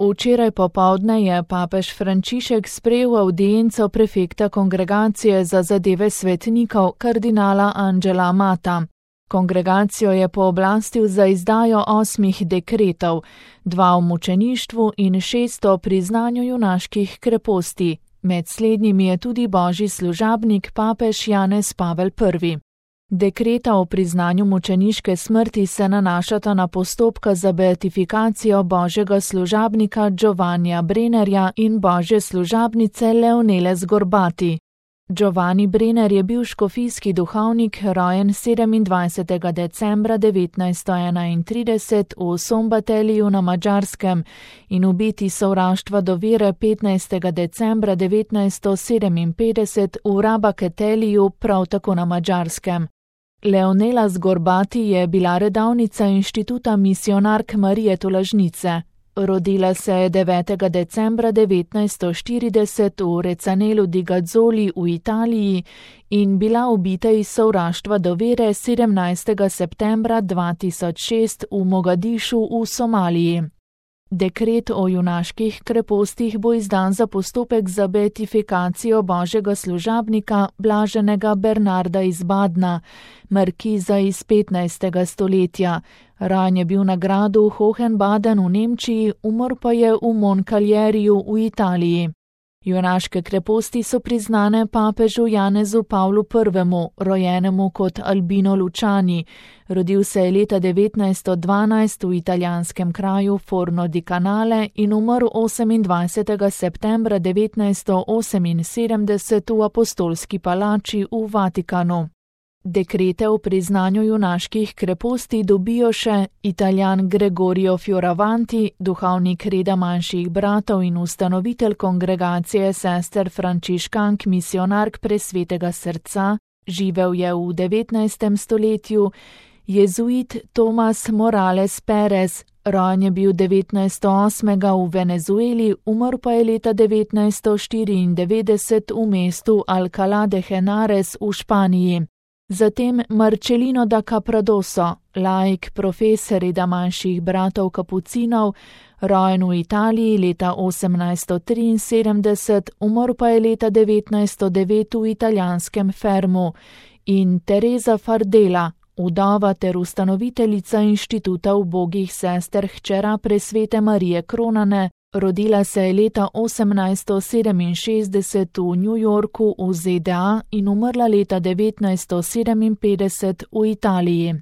Včeraj popoldne je papež Frančišek sprejel avdienco prefekta Kongregacije za zadeve svetnikov kardinala Angela Amata. Kongregacijo je pooblastil za izdajo 8 dekretov, 2 o mučeništvu in 6 o priznanju junaških kreposti. Med slednjimi je tudi božji služabnik papež Janez Pavel I. Dekreta o priznanju mučeniške smrti se nanašata na postopka za beatifikacijo božjega služabnika Giovannija Brennerja in božje služabnice Leonele Zgorbati. Giovanni Brenner je bil škofijski duhovnik, rojen 27. decembra 1931 v Sombateliju na Madžarskem in ubiti sovraštva do vere 15. decembra 1957 v Rabaketeliju, prav tako na Madžarskem. Leonela Zgorbati je bila redavnica Inštituta misionark Marije Tolažnice. Rodila se je 9. decembra 1940 v Recanelu di Gazzoli v Italiji in bila ubita iz sovraštva do vere 17. septembra 2006 v Mogadišu v Somaliji. Dekret o junaških krepostih bo izdan za postopek za beatifikacijo božjega služabnika blaženega Bernarda iz Badna, markiza iz 15. stoletja. Rojen je bil na gradu Hohenbaden v Nemčiji, umrl pa je v Moncalieriju v Italiji. Junaške kreposti so priznane papežu Janezu Pavlu I., rojenemu kot Albino Luciani. Rodil se je leta 1912 v italijanskem kraju Forno di Canale in umrl 28. septembra 1978 v apostolski palači v Vatikanu. Dekrete o priznanju junaških kreposti dobijo še Italijan Gregorio Fioravanti, duhovnik reda manjših bratov in ustanovitelj kongregacije sester frančiškank misionark Presvetega srca, živel je v 19. stoletju, jezuit Tomas Morales Perez, rojen je bil 1908. v Venezueli, umrl pa je leta 1994 v mestu Alcalá de Henares v Španiji. Zatem Marcelino da Capradoso, laik profesor reda manjših bratov kapucinov, rojen v Italiji leta 1873, umrl pa je leta 1909 v italijanskem Fermu, in Teresa Fardela, vdova ter ustanoviteljica Inštituta ubogih sester hčera Presvete Marije Kronane, rodila se je leta 1867 v New Yorku v ZDA in umrla leta 1957 v Italiji.